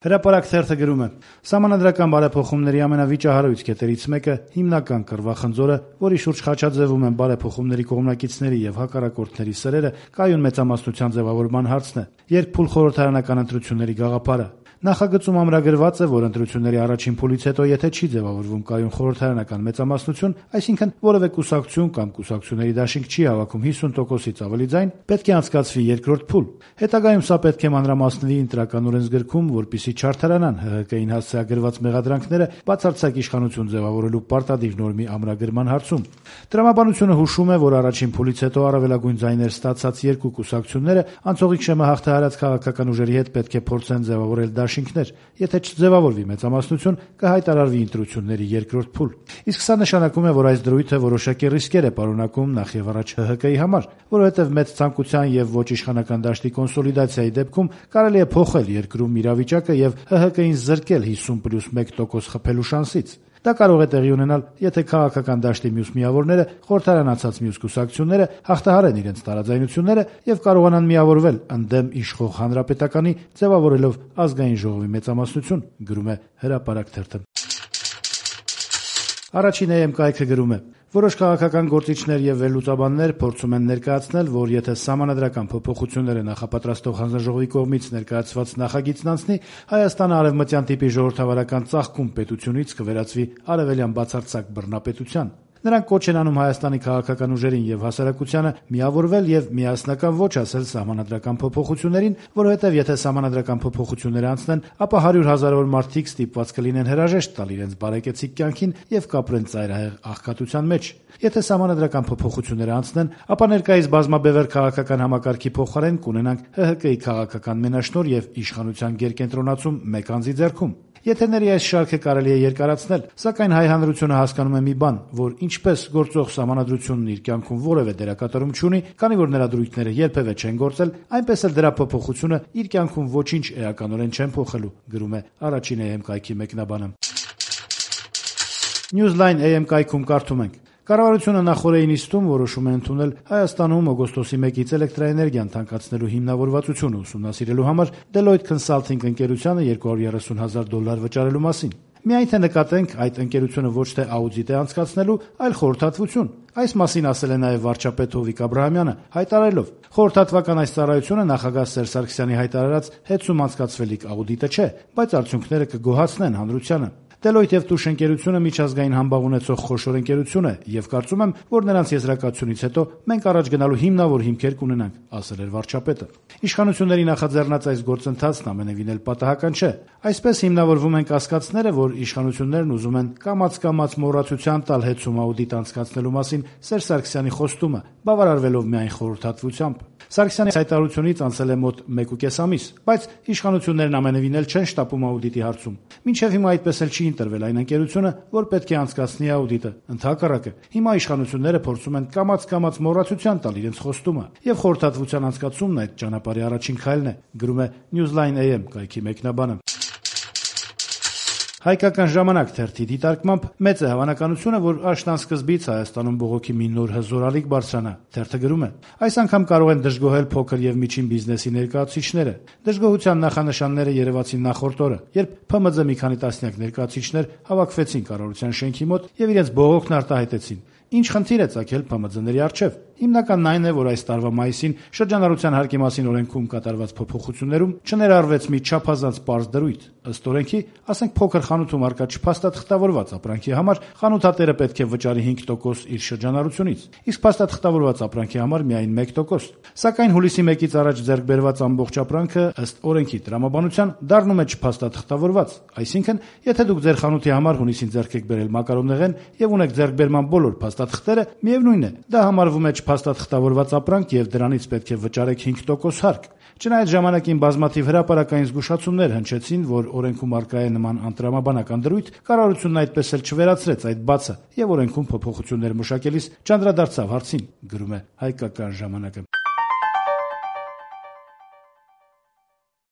Հրապարակ թերթը գրում է. «Սահմանադրական բարեփոխումների ամենավիճահարույց կետերից մեկը հիմնական կռվախնձորը, որի շուրջ խաչաձևում են բարեփոխումների կողմնակիցների եւ հակառակորդների սրերը, կայուն մեծամասնության ձեւավորման հարցն է, երկփուլ խորհրդարանական ընտրությունների գաղափարը։ Նախագծում ամրագրված է, որ ընտրությունների առաջին փուլից հետո, եթե չի ձևավորվում կայուն խորհրդարանական մեծամասնություն, այսինքն որևէ կուսակցություն կամ կուսակցությունների դաշինք չի հավաքում 50%-ից ավելի ձայն, պետք է անցկացվի երկրորդ փուլ։ Հետագայում սա պետք է մանրամասնվի ընտրական օրենսգրքում, որպեսզի չարդարանան ՀՀԿ-ին հասցեագրված մեղադրանքները բացարձակ իշխանություն ձևավորելու պարտադիր նորմի ամրագրման հարցում։ Տրամաբանությունը հուշում է, որ առաջին փուլից հետո առավելագույն ձայներ ստացած երկու կուսակցությունները անցողիկ շեմը հաղթահարած քաղաքական ուժերի հետ պետք է փորձեն ձևավորել դաշինքներ, եթե չձևավորվի մեծամասնություն, կհայտարարվի ընտրությունների երկրորդ փուլ։ Իսկ սա նշանակում է, որ այս դրույթը որոշակի ռիսկեր է պարունակում նախ եւ առաջ ՀՀԿ-ի համար, որովհետեւ մեծ ցանկության եւ ոչ իշխանական դաշտի կոնսոլիդացիայի դեպքում կարելի է փոխել երկրում իրավիճակը եւ ՀՀԿ-ին զրկել 50+1% խփելու շանսից։ Դա կարող է տեղի ունենալ, եթե քաղաքական դաշտի մյուս միավորները, խորհրդարանացած մյուս կուսակցությունները հաղթահարեն իրենց տարաձայնությունները եւ կարողանան միավորվել ընդդեմ իշխող հանրապետականի, ձևավորելով ազգային ժողովի մեծամասնություն, գրում է Հրապարակ թերթը։ Առաջին EM կայքը գրում է. որոշ քաղաքական գործիչներ եւ վերլուծաբաններ փորձում են ներկայացնել, որ եթե սահմանադրական փոփոխությունները նախապատրաստող հանձնաժողովի կողմից ներկայացված նախագիծն անցնի, Հայաստանը արևմտյան տիպի ժողովրդավարական ծաղկում պետությունից կվերածվի արևելյան բացարձակ բռնապետության։ Նրանք կոչ են անում Հայաստանի քաղաքական ուժերին եւ հասարակությանը միավորվել եւ միասնական ոչ ասել սահմանադրական փոփոխություններին, որովհետեւ եթե սահմանադրական փոփոխություններ անցնեն, ապա 100,000-ավոր մարդիկ ստիպված կլինեն հրաժեշտ տալ իրենց բարեկեցիկ կյանքին եւ կապրեն ծայրահեղ աղքատության մեջ։ Եթե սահմանադրական փոփոխությունները անցնեն, ապա ներկայիս բազմաբևեռ քաղաքական համակարգի փոխարեն կունենանք ՀՀԿ-ի քաղաքական մենաշնորհ եւ իշխանության գերկենտրոնացում մեկ անձի ձեռքում։ Եթերների այս շարքը կարելի է երկարացնել, սակայն հայ հանրությունը հասկանում է մի բան, որ ինչպես գործող սահմանադրությունն իր կյանքում որևէ դերակատարում չունի, քանի որ նրա դրույթները երբևէ չեն գործել, այնպես էլ դրա փոփոխությունը իր կյանքում ոչինչ էականորեն չեն փոխելու, գրում է առաջին EM կայքի մեկնաբանը։ Newsline EM կայքում կարդում ենք. Կառավարությունը նախորդ նիստում որոշում է ընդունել Հայաստանում օգոստոսի 1-ից էլեկտրաէներգիան թանկացնելու հիմնավորվածությունը ուսումնասիրելու համար Deloitte Consulting ընկերությանը $230,000 վճարելու մասին։ Միայն թե նկատենք, այդ ընկերությունը ոչ թե աուդիտ է անցկացնելու, այլ խորհրդատվություն։ Այս մասին ասել է նաև վարչապետ Հովիկ Աբրահամյանը, հայտարարելով. խորհրդատվական այս ծառայությունը նախագահ Սերժ Սարգսյանի հայտարարած հեծում անցկացվելիք աուդիտը չէ, բայց արդյունքները կգոհացնեն հանրությանը։ Deloitte եւ Tush ընկերությունը միջազգային համբավ ունեցող խոշոր ընկերություն է եւ կարծում եմ, որ նրանց եզրակացությունից հետո մենք առաջ գնալու հիմնավոր հիմքեր կունենանք, ասել էր վարչապետը։ Իշխանությունների նախաձեռնած այս գործընթացն ամենևին էլ պատահական չէ։ Այսպես հիմնավորվում են կասկածները, որ իշխանություններն ուզում են կամաց մոռացության տալ հեծում աուդիտ անցկացնելու մասին Սերժ Սարգսյանի խոստումը, բավարարվելով միայն խորհրդատվությամբ։ Սարգսյանի հայտարարությունից անցել է մոտ 1.5 ամիս, բայց իշխանություններն ամենևին էլ չեն շտապում աուդիտի հարցում։ Մինչև հիմա այդպես էլ չի ընտրվել այն ընկերությունը, որ պետք է անցկացնի աուդիտը։ Ընդհակառակը, հիմա իշխանությունները փորձում են կամաց մոռացության տալ իրենց խոստումը, եւ խորհրդատվության անցկացումն այդ ճանապարհի առաջին քայլն է, գրում է Newsline EM կայքի մեկնաբանը։ Հայկական ժամանակ թերթի դիտարկմամբ մեծ է հավանականությունը, որ աշնան սկզբից Հայաստանում բողոքի մի նոր հզորալիք բարձրանա։ Թերթը գրում է. այս անգամ կարող են դժգոհել փոքր եւ միջին բիզնեսի ներկայացուցիչները։ Դժգոհության նախանշանները երևացին նախորդ օրը, երբ ՓՄԶ մի քանի տասնյակ ներկայացուցիչներ հավաքվեցին կառավարության շենքի մոտ եւ իրենց բողոքն արտահայտեցին։ Ինչ խնդիր է ծագել ՓՄԶ-ների առջև։ Հիմնականն այն է, որ այս տարվա մայիսին շրջանառության հարկի մասին օրենքում կատարված փոփոխություններում չներառվեց մի չափազանց պարզ դրույթ։ Ըստ օրենքի, ասենք փոքր խանութում արկա չփաստաթղթավորված ապրանքի համար խանութատերը պետք է վճարի 5% իր շրջանառությունից, իսկ փաստաթղթավորված ապրանքի համար միայն 1%։ Սակայն հուլիսի 1-ից առաջ ձեռք բերված ամբողջ ապրանքը ըստ օրենքի տրամաբանության դառնում է չփաստաթղթավորված, այսինքն, եթե դուք ձեր խանութի համար հունիսին ձեռք եք բերել մակարոնեղեն եւ ունեք ձեռքբերման բոլոր փաստաթղթերը, միևնույն է, դա համարվում է փաստաթղթավորված ապրանք եւ դրանից պետք է վճարեք 5% հարկ։ Չնայած ժամանակին բազմաթիվ հրապարակային զգուշացումներ հնչեցին, որ օրենքում առկա է նման անտրամաբանական դրույթ, կառավարությունն այդպես էլ չվերացրեց այդ բացը եւ օրենքում փոփոխություններ մշակելիս չանդրադարձավ հարցին, գրում է Հայկական ժամանակը։